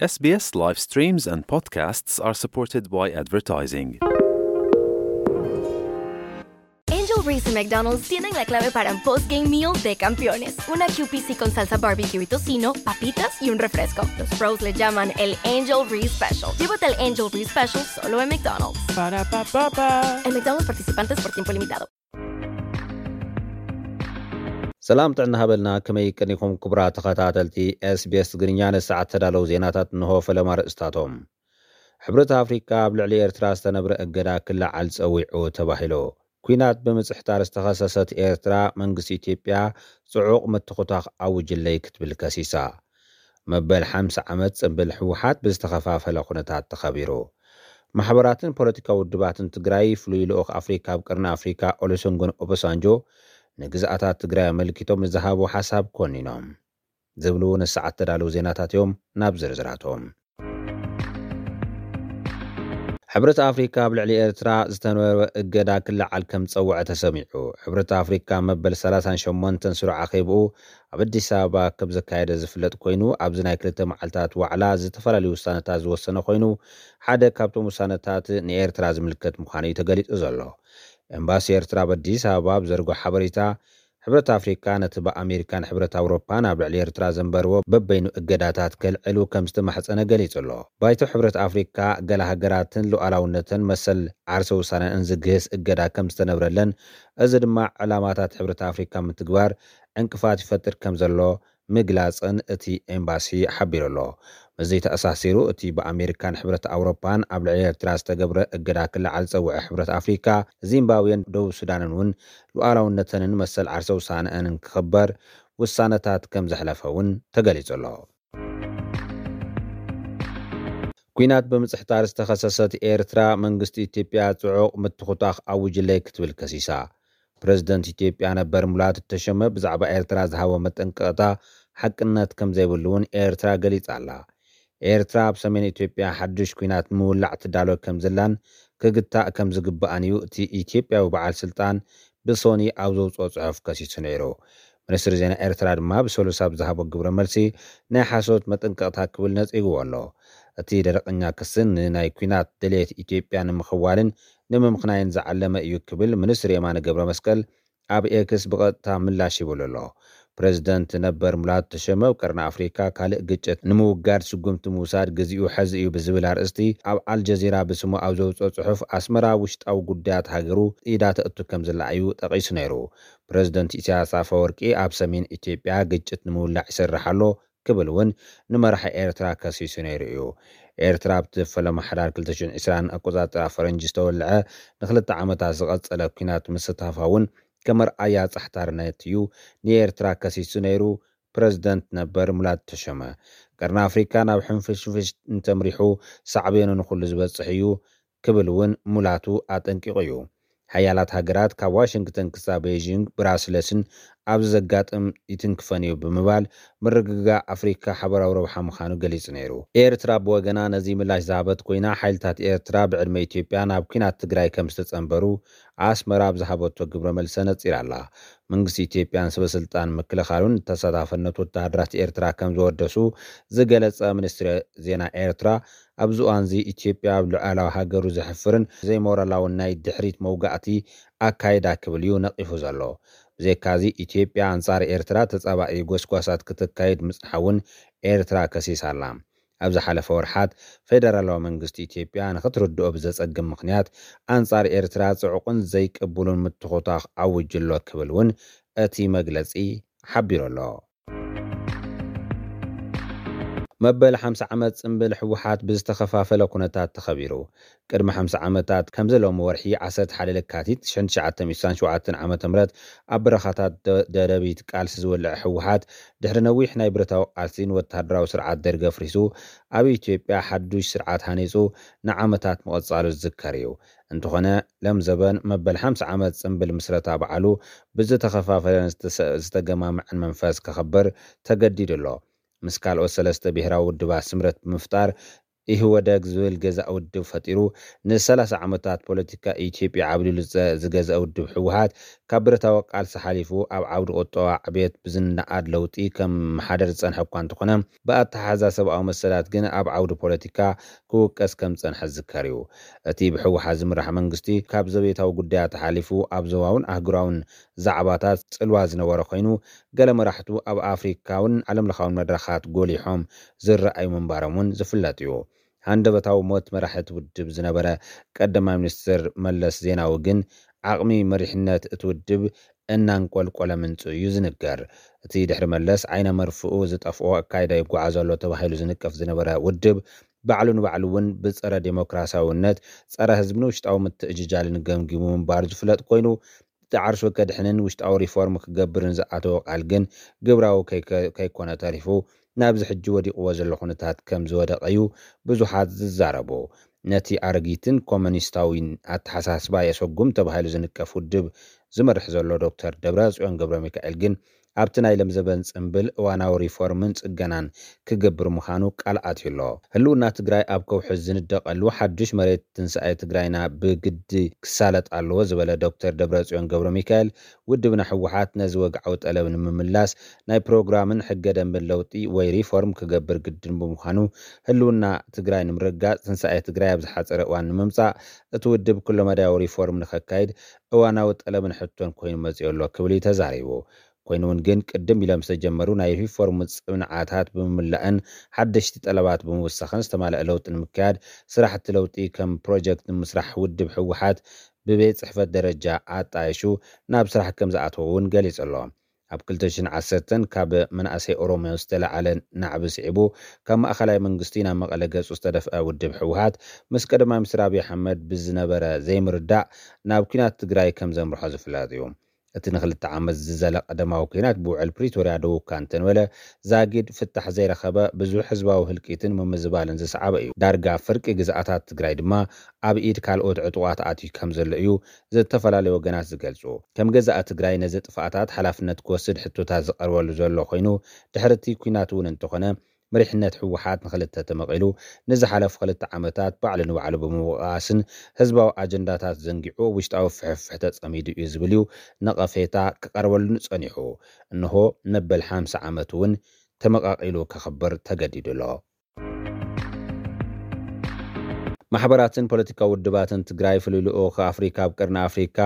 S B S live streams and podcasts are supported by advertising. Angel Reese y McDonald's tienen la clave para un post-game meal de campeones. Una Q P C con salsa barbecue y tocino, papitas y un refresco. Los pros le llaman el Angel Reese Special. Llévate el Angel Reese Special solo en McDonald's. Para pa pa pa. En McDonald's participantes por tiempo limitado. ሰላም ጥዕና ሃበልና። ከመይ ቀኒኹም ክቡራት ተኸታተልቲ SBS ትግርኛ? ንሰዓት ተዳለዉ ዜናታት እንሆ። ፈለማ ርእስታቶም። ሕብረት ኣፍሪካ ኣብ ልዕሊ ኤርትራ ዝተነብረ እገዳ ክለዓል ጸዊዑ ተባሂሉ። ኲናት ብምጽሕታር ዝተኸሰሰት ኤርትራ መንግስቲ ኢትዮጵያ ጽዑቕ ምትኹታኽ ኣውጅለይ ክትብል ከሲሳ። መበል ሓምሳ ዓመት ጽንብል ህወሓት ብዝተኸፋፈለ ኩነታት ተኸቢሩ። ማሕበራትን ፖለቲካዊ ውድባትን ትግራይ ፍሉይ ልኡኽ ኣፍሪካ ኣብ ቅርኒ ኣፍሪካ ኦሉሰንጎን ኦባሳንጆ ንግዝኣታት ትግራይ ኣመልኪቶም ዝሃቦ ሓሳብ ኮኒኖም ዝብሉ ንሰዓት ተዳለዉ ዜናታት እዮም። ናብ ዝርዝራቶም። ሕብረት ኣፍሪካ ኣብ ልዕሊ ኤርትራ ዝተነበረ እገዳ ክለዓል ከም ዝጸውዐ ተሰሚዑ። ሕብረት ኣፍሪካ መበል ሰላሳን ሸሞንተን ስሩዕ ኣኼብኡ ኣብ ኣዲስ ኣበባ ከም ዘካየደ ዝፍለጥ ኮይኑ፣ ኣብዚ ናይ ክልተ መዓልታት ዋዕላ ዝተፈላለዩ ውሳነታት ዝወሰነ ኮይኑ፣ ሓደ ካብቶም ውሳነታት ንኤርትራ ዝምልከት ምዃኑ እዩ ተገሊጹ ዘሎ። ኤምባሲ ኤርትራ ኣብ ኣዲስ ኣበባ ኣብ ዘርግሖ ሓበሬታ፣ ሕብረት ኣፍሪካ ነቲ ብኣሜሪካን ሕብረት ኣውሮፓን ኣብ ልዕሊ ኤርትራ ዘንበርዎ በበይኑ እገዳታት ከልዕሉ ከም ዝተማሕጸነ ገሊጹ ኣሎ። ባይቶ ሕብረት ኣፍሪካ ገለ ሃገራትን ሉዓላውነተን መሰል ዓርሰ ውሳነን ዝግህስ እገዳ ከም ዝተነብረለን፣ እዚ ድማ ዕላማታት ሕብረት ኣፍሪካ ምትግባር ዕንቅፋት ይፈጥር ከም ዘሎ ምግላጽን እቲ ኤምባሲ ሓቢሩ ኣሎ። ምስዚ ተኣሳሲሩ፣ እቲ ብኣሜሪካን ሕብረት ኣውሮፓን ኣብ ልዕሊ ኤርትራ ዝተገብረ እገዳ ክለዓል ዝጸውዐ ሕብረት ኣፍሪካ፣ ዚምባብዌን ደቡብ ሱዳንን እውን ሉዓላውነተንን መሰል ዓርሰ ውሳነአንን ክኽበር ውሳነታት ከም ዘሕለፈ እውን ተገሊጹ ኣሎ። ኲናት ብምጽሕታር ዝተኸሰሰት ኤርትራ፣ መንግስቲ ኢትዮጵያ ጽዑቕ ምትኹታኽ ኣውጅለይ ክትብል ከሲሳ። ፕረዚደንት ኢትዮጵያ ነበር ሙላቱ ተሾመ ብዛዕባ ኤርትራ ዝሃቦ መጠንቀቕታ ሓቅነት ከም ዘይብሉ እውን ኤርትራ ገሊጻ ኣላ። ኤርትራ ኣብ ሰሜን ኢትዮጵያ ሓድሽ ኲናት ንምውላዕ ትዳሎ ከም ዘላን ክግታእ ከም ዝግባእን እዩ እቲ ኢትዮጵያዊ በዓል ስልጣን ብሶኒ ኣብ ዘውፅኦ ጽሑፍ ከሲሱ ነይሩ። ሚኒስትሪ ዜና ኤርትራ ድማ ብሰሉስ ኣብ ዝሃቦ ግብረ መልሲ ናይ ሓሶት መጠንቀቕታ ክብል ነጺግዎ ኣሎ። እቲ ደረቕኛ ክስን ንናይ ኲናት ድሌት ኢትዮጵያ ንምኽዋልን ንምምኽናይን ዝዓለመ እዩ ክብል ሚኒስትር የማነ ገብረ መስቀል ኣብ ኤክስ ብቐጥታ ምላሽ ይብሉ ኣሎ። ፕረዚደንት ነበር ሙላቱ ተሾመ ኣብ ቀርኒ ኣፍሪካ ካልእ ግጭት ንምውጋድ ስጉምቲ ምውሳድ ግዚኡ ሕዚ እዩ ብዝብል ኣርእስቲ ኣብ ኣልጀዚራ ብስሙ ኣብ ዘውፅኦ ጽሑፍ፣ ኣስመራ ውሽጣዊ ጉዳያት ሃገሩ ኢዳ ተእቱ ከም ዘላ እዩ ጠቒሱ ነይሩ። ፕረዚደንት ኢሳያስ ኣፈወርቂ ኣብ ሰሜን ኢትዮጵያ ግጭት ንምውላዕ ይሰርሕ ኣሎ ክብል እውን ንመራሒ ኤርትራ ከሲሱ ነይሩ እዩ። ኤርትራ ኣብቲ ፈለማ ሓዳር ክልተ ሽሕን ዕስራን ኣቆጻጽራ ፈረንጂ ዝተወልዐ ንክልተ ዓመታት ዝቐጸለ ኲናት ምስታፋ እውን ከም ኣርኣያ ጻሕታርነት እዩ ንኤርትራ ከሲሱ ነይሩ። ፕረዚደንት ነበር ሙላቱ ተሾመ፣ ቀርኒ ኣፍሪካ ናብ ሕንፍሽፍሽ እንተምሪሑ ሳዕቤኑ ንኹሉ ዝበጽሕ እዩ ክብል እውን ሙላቱ ኣጠንቂቑ እዩ። ሓያላት ሃገራት ካብ ዋሽንግተን ክሳብ ቤይጂንግ ብራስለስን ኣብዚ ዘጋጥም ይትንክፈን እዩ ብምባል፣ ምርግጋእ ኣፍሪካ ሓበራዊ ረብሓ ምዃኑ ገሊጹ ነይሩ። ኤርትራ ብወገና ነዚ ምላሽ ዝሃበት ኮይና፣ ሓይልታት ኤርትራ ብዕድመ ኢትዮጵያ ናብ ኲናት ትግራይ ከም ዝተጸንበሩ ኣስመራ ኣብ ዝሃበቶ ግብረ መልሲ ነጺራ ኣላ። መንግስቲ ኢትዮጵያን ሰበ ስልጣን ምክልኻሉን ተሳታፈነት ወተሃደራት ኤርትራ ከም ዘወደሱ ዝገለጸ ሚኒስትሪ ዜና ኤርትራ፣ ኣብዚ እዋንዚ ኢትዮጵያ ኣብ ልዑላዊ ሃገሩ ዘሕፍርን ዘይሞራላውን ናይ ድሕሪት መውጋእቲ ኣካይዳ ክብል እዩ ነቒፉ ዘሎ። ብዘይካዚ፣ ኢትዮጵያ ኣንጻር ኤርትራ ተጻባኢ ጎስጓሳት ክተካይድ ምጽንሓ እውን ኤርትራ ከሲሳ ኣላ። ኣብ ዝሓለፈ ወርሓት፣ ፌደራላዊ መንግስቲ ኢትዮጵያ ንኽትርድኦ ብዘጸግም ምኽንያት ኣንጻር ኤርትራ ጽዑቕን ዘይቅቡሉን ምትኹታኽ ኣውጅ ኣሎ ክብል እውን እቲ መግለጺ ሓቢሩ ኣሎ። መበል ሓምሳ ዓመት ጽንብል ህወሓት ብዝተኸፋፈለ ኩነታት ተኸቢሩ። ቅድሚ ሓምሳ ዓመታት ከምዚ ሎሚ ወርሒ ዓሰርተ ሓደ ለካቲት ሽሕን ትሽዓተ ሚእቲ ስሳን ሸውዓተን ዓመተ ምህረት ኣብ በረኻታት ደ-፣ ደደቢት ቃልሲ ዝወልዐ ህወሓት፣ ድሕሪ ነዊሕ ናይ ብረታዊ ቃልሲ ንወተሃደራዊ ስርዓት ደርግ ኣፍሪሱ ኣብ ኢትዮጵያ ሓዱሽ ስርዓት ሃኒጹ ንዓመታት ምቕጻሉ ዝዝከር እዩ። እንተኾነ፣ ለምዘበን መበል ሓምሳ ዓመት ጽንብል ምስረታ በዓሉ ብዝተኸፋፈለን ዝተሰ-፣ ዝተገማምዐን መንፈስ ከኸብር ተገዲዱ ኣሎ። ምስ ካልኦት ሰለስተ ብሄራዊ ውድባት ስምረት ብምፍጣር ኢህወደግ ዝብል ገዛእ ውድብ ፈጢሩ ንሰላሳ ዓመታት ፖለቲካ ኢትዮጵያ ዓብሊሉ ዝገዘአ ውድብ ህወሓት፣ ካብ ብረታዊ ቃልሲ ሓሊፉ ኣብ ዓውዲ ቁጠባ ዕብየት ብዝነኣድ ለውጢ ከም መሓደር ዝጸንሐ እኳ እንተኾነ፣ ብኣተሓሕዛ ሰብኣዊ መሰላት ግን ኣብ ዓውዲ ፖለቲካ ክውቀስ ከም ዝጸንሐ ዝዝከር እዩ። እቲ ብህወሓት ዝምራሕ መንግስቲ ካብ ዘቤታዊ ጉዳያት ሓሊፉ ኣብ ዞባውን ኣህጉራውን ዛዕባታት ጽልዋ ዝነበረ ኮይኑ፣ ገለ መራሕቱ ኣብ ኣፍሪካውን ዓለምለኻውን መድረኻት ጎሊሖም ዝረኣዩ ምንባሮም እውን ዝፍለጥ እዩ። ሃንደበታዊ ሞት መራሒ እቲ ውድብ ዝነበረ ቀዳማይ ሚኒስትር መለስ ዜናዊ ግን ዓቕሚ መሪሕነት እቲ ውድብ እናንቆልቆለ ምንጹ እዩ ዝንገር። እቲ ድሕሪ መለስ ዓይነ መርፍኡ ዝጠፍኦ ኣካይዳ ይጓዓዝ ኣሎ ተባሂሉ ዝንቀፍ ዝነበረ ውድብ ባዕሉ ንባዕሉ እውን ብጸረ ዴሞክራሲያውነት፣ ጸረ ህዝብን ውሽጣዊ ምትእጅጃልን ገምጊሙ ምንባሩ ዝፍለጥ ኮይኑ፣ እቲ ዓርሱ ከድሕንን ውሽጣዊ ሪፎርም ክገብርን ዝኣተወ ቃል ግን ግብራዊ ከይኮነ ተሪፉ ናብዚ ሕጂ ወዲቕዎ ዘሎ ኩነታት ከም ዝወደቐ እዩ ብዙሓት ዝዛረቡ። ነቲ ኣረጊትን ኮሙኒስታዊን ኣተሓሳስባ የሰጉም ተባሂሉ ዝንቀፍ ውድብ ዝመርሕ ዘሎ ዶክተር ደብረጽዮን ገብረ ሚካኤል ግን ኣብቲ ናይ ለምዘበን ጽምብል እዋናዊ ሪፎርምን ጽገናን ክገብር ምዃኑ ቃል ኣትዩ ኣሎ። ህልውና ትግራይ ኣብ ከውሒ ዝንደቐሉ ሓዱሽ መሬት ትንሳኤ ትግራይና ብግዲ ክሳለጥ ኣለዎ ዝበለ ዶክተር ደብረጽዮን ገብረ ሚካኤል፣ ውድብና ህወሓት ነዚ ወግዓዊ ጠለብ ንምምላስ ናይ ፕሮግራምን ሕገ ደንብን ለውጢ ወይ ሪፎርም ክገብር ግድን ብምዃኑ፣ ህልውና ትግራይ ንምርግጋጽ ትንሳኤ ትግራይ ኣብ ዝሓጸረ እዋን ንምምጻእ እቲ ውድብ ኩለመዳያዊ ሪፎርም ንኸካይድ እዋናዊ ጠለብን ሕቶን ኮይኑ መጺኡ ኣሎ ክብል እዩ ተዛሪቡ። ኮይኑ እውን ግን ቅድም ኢሎም ዝተጀመሩ ናይ ሪፎርም ጽንዓታት ብምምላእን ሓደሽቲ ጠለባት ብምውሳኽን ዝተማልአ ለውጢ ንምክያድ ስራሕቲ ለውጢ ከም ፕሮጀክት ንምስራሕ ውድብ ህወሓት ብቤት ጽሕፈት ደረጃ ኣጣይሹ ናብ ስራሕ ከም ዝኣተወ እውን ገሊጹ ኣሎ። ኣብ ክልተ ሽሕን ዓሰርተን ካብ መናእሰይ ኦሮሞ ዝተለዓለ ናዕቢ ስዒቡ ካብ ማእኸላይ መንግስቲ ናብ መቐለ ገጹ ዝተደፍአ ውድብ ህወሓት ምስ ቀዳማይ ሚኒስትር ኣብይ ኣሕመድ ብዝነበረ ዘይምርዳእ ናብ ኲናት ትግራይ ከም ዘምርሖ ዝፍለጥ እዩ። እቲ ንክልተ ዓመት ዝዘለቐ ደማዊ ኲናት ብውዕል ፕሪቶርያ ደው እኳ እንተንበለ፣ ዛጊድ ፍታሕ ዘይረኸበ ብዙሕ ህዝባዊ ህልቂትን ምምዝባልን ዝሰዓበ እዩ። ዳርጋ ፍርቂ ግዝኣታት ትግራይ ድማ ኣብ ኢድ ካልኦት ዕጡቓት ኣትዩ ከም ዘሎ እዩ ዝተፈላለዩ ወገናት ዝገልጹ። ከም ገዛእ ትግራይ ነዚ ጥፍኣታት ሓላፍነት ክወስድ ሕቶታት ዝቐርበሉ ዘሎ ኮይኑ፣ ድሕሪ እቲ ኲናት እውን እንተኾነ መሪሕነት ህወሓት ንክልተ ተመቒሉ ንዝሓለፉ ክልተ ዓመታት ባዕሉ ንባዕሉ ብምውቓስን ህዝባዊ ኣጀንዳታት ዘንጊዑ ውሽጣዊ ፍሕፍሕ ተጸሚዱ እዩ ዝብል እዩ ነቐፌታ ክቐርበሉ ጸኒሑ። እንሆ መበል ሓምሳ ዓመት እውን ተመቓቒሉ ከኽብር ተገዲዱ ኣሎ። ማሕበራትን ፖለቲካዊ ውድባትን ትግራይ ፍሉይ ልኡኽ ኣፍሪካ ኣብ ቀርኒ ኣፍሪካ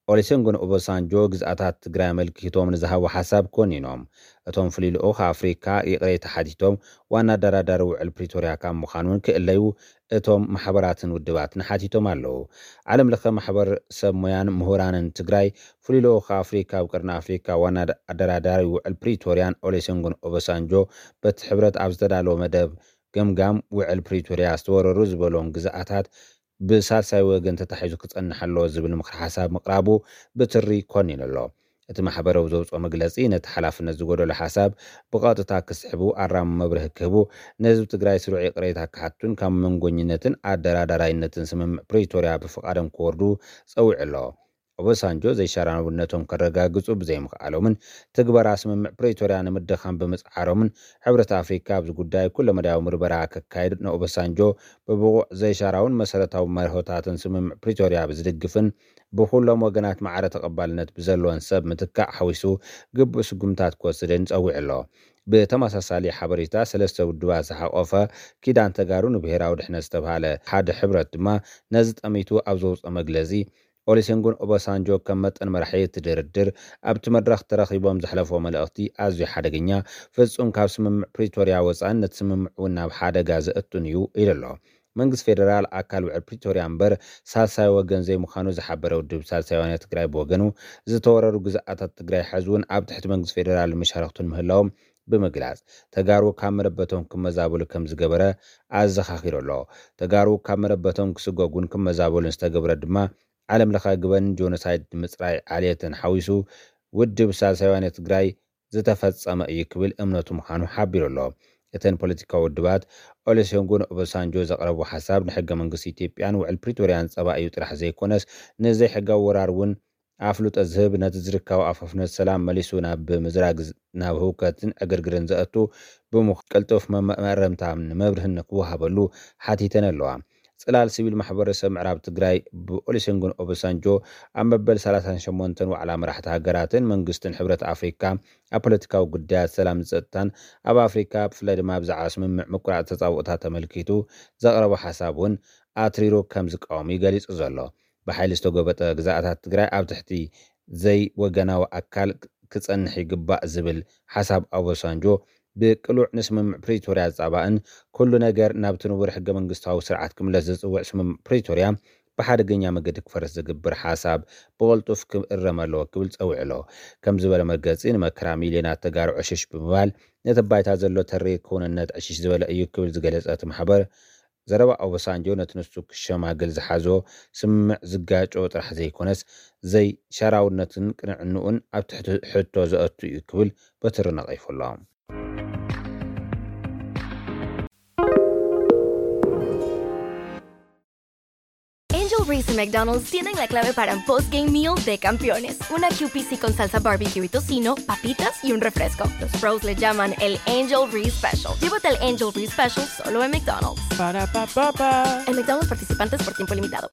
ኦሊሴንጎን ኦባሳንጆ ግዝኣታት ትግራይ ኣመልኪቶም ንዝሃቦ ሓሳብ ኮኒኖም። እቶም ፍሉይ ልኡኽ ኣፍሪካ ይቕሬታ ሓቲቶም ዋና ኣደራዳሪ ውዕል ፕሪቶርያ ካብ ምዃን እውን ክእለዩ እቶም ማሕበራትን ውድባትን ሓቲቶም ኣለዉ። ዓለም ለኸ ማሕበር ሰብ ሞያን ምሁራንን ትግራይ ፍሉይ ልኡኽ ኣፍሪካ ኣብ ቀርኒ ኣፍሪካ ዋና ኣደራዳሪ ውዕል ፕሪቶርያን ኦሊሴንጎን ኦባሳንጆ በቲ ሕብረት ኣብ ዝተዳለወ መደብ ገምጋም ውዕል ፕሪቶርያ ዝተወረሩ ዝበሎም ግዝኣታት ብሳልሳይ ወገን ተታሒዙ ክጸንሕ ኣለዎ ዝብል ምኽሪ ሓሳብ ምቕራቡ ብትሪ ኮኒኑ ኣሎ። እቲ ማሕበረዊ ዘውፅኦ መግለፂ ነቲ ሓላፍነት ዝጎደሎ ሓሳብ ብቐጥታ ክስሕቡ ኣራሚ መብርሂ ክህቡ ንህዝቢ ትግራይ ስሩዕ ይቕሬታ ክሓቱን ካብ መንጎኝነትን ኣደራዳራይነትን ስምምዕ ፕሪቶርያ ብፍቓዶም ክወርዱ ፀዊዑ ኣሎ። ኦባሳንጆ ዘይሻራውነቶም ከረጋግፁ ብዘይምኽኣሎምን ትግበራ ስምምዕ ፕሪቶርያ ንምድኻም ብምፅዓሮምን ሕብረት ኣፍሪካ ኣብዚ ጉዳይ ኩለመዳያዊ ምርመራ ከካይድ ንኦባሳንጆ ብብቑዕ ዘይሻራውን መሰረታዊ መርሆታትን ስምምዕ ፕሪቶርያ ብዝድግፍን ብኩሎም ወገናት ማዕረ ተቐባልነት ብዘለዎን ሰብ ምትካእ ሓዊሱ ግቡእ ስጉምታት ክወስድን ጸዊዑ ኣሎ። ብተመሳሳሊ ሓበሬታ ሰለስተ ውድባት ዝሓቆፈ ኪዳን ተጋሩ ንብሄራዊ ድሕነት ዝተባሃለ ሓደ ሕብረት ድማ ነዚ ጠሚቱ ኣብ ዘውፅኦ መግለፂ ኦሊሴንጎን ኦባሳንጆ ከም መጠን መራሒ እቲ ድርድር ኣብቲ መድረኽ ተረኺቦም ዘሕለፎ መልእኽቲ ኣዝዩ ሓደገኛ፣ ፍጹም ካብ ስምምዕ ፕሪቶርያ ወፃእን ነቲ ስምምዕ እውን ናብ ሓደጋ ዘእቱን እዩ ኢሉ ኣሎ። መንግስቲ ፌደራል ኣካል ውዕል ፕሪቶርያ እምበር ሳልሳይ ወገን ዘይምዃኑ ዝሓበረ ውድብ ሳልሳይ ወያነ ትግራይ ብወገኑ ዝተወረሩ ግዝኣታት ትግራይ ሕዚ እውን ኣብ ትሕቲ መንግስቲ ፌደራል መሻርክቱን ምህላዎም ብምግላፅ ተጋሩ ካብ መረበቶም ክመዛበሉ ከም ዝገበረ ኣዘኻኺሩ ኣሎ። ተጋሩ ካብ መረበቶም ክስጎጉን ክመዛበሉን ዝተገብረ ድማ ዓለም ለኸ ግበን ጆኖሳይድ ንምፅራይ ዓልየትን ሓዊሱ ውድብ ሳልሳይ ወያነ ትግራይ ዝተፈፀመ እዩ ክብል እምነቱ ምዃኑ ሓቢሩ ኣሎ። እተን ፖለቲካዊ ውድባት ኦሉሴጉን ኦባሳንጆ ዘቕረቡ ሓሳብ ንሕገ መንግስቲ ኢትዮጵያን ውዕል ፕሪቶርያን ፀባ እዩ ጥራሕ ዘይኮነስ ንዘይሕጋዊ ወራር እውን ኣፍልጦ ዝህብ፣ ነቲ ዝርካቡ ኣፋፍነት ሰላም መሊሱ ናብ ምዝራግ፣ ናብ ህውከትን ዕግርግርን ዘእቱ ብምዃኑ ቅልጡፍ መመረምታ መብርህን ክወሃበሉ ሓቲተን ኣለዋ። ጽላል ሲቪል ማሕበረሰብ ምዕራብ ትግራይ ብኦሉሴጉን ኦባሳንጆ ኣብ መበል ሰላሳን ሸሞንተን ዋዕላ መራሕቲ ሃገራትን መንግስትን ሕብረት ኣፍሪካ ኣብ ፖለቲካዊ ጉዳያት ሰላምን ጸጥታን ኣብ ኣፍሪካ ብፍላይ ድማ ብዛዕባ ስምምዕ ምቁራጽ ተጻብኦታት ተመልኪቱ ዘቕረቦ ሓሳብ እውን ኣትሪሩ ከም ዝቃወም እዩ ገሊጹ ዘሎ። ብሓይሊ ዝተጎበጠ ግዛኣታት ትግራይ ኣብ ትሕቲ ዘይወገናዊ ኣካል ክጸንሕ ይግባእ ዝብል ሓሳብ ኦባሳንጆ ብቅሉዕ ንስምምዕ ፕሪቶርያ ዝጻባእን ኩሉ ነገር ናብቲ ንቡር ሕገ መንግስታዊ ስርዓት ክምለስ ዝጽውዕ ስምምዕ ፕሪቶርያ ብሓደገኛ መገዲ ክፈርስ ዝግብር ሓሳብ ብቕልጡፍ ክእረም ኣለዎ ክብል ጸዊዑ ኣሎ። ከም ዝበለ መርገጺ ንመከራ ሚልዮናት ተጋሩ ዕሽሽ ብምባል ነቲ ባይታ ዘሎ ተሪር ክውንነት ዕሽሽ ዝበለ እዩ ክብል ዝገለጸ እቲ ማሕበር ዘረባ ኦባሳንጆ ነቲ ንሱ ክሸማግል ዝሓዞ ስምምዕ ዝጋጮ ጥራሕ ዘይኮነስ ዘይሻራውነትን ቅንዕንኡን ኣብ ትሕቲ ሕቶ ዘእቱ እዩ ክብል በትሪ ነቒፉ ኣሎ። Angel Reese y McDonald's tienen la clave para un post-game meal de campeones. Una Q P C con salsa barbecue y tocino, papitas y un refresco. Los pros le llaman el Angel Reese Special. Llévate el Angel Reese Special solo en McDonald's. Ba-da-ba-ba-ba. En McDonald's participantes por tiempo limitado.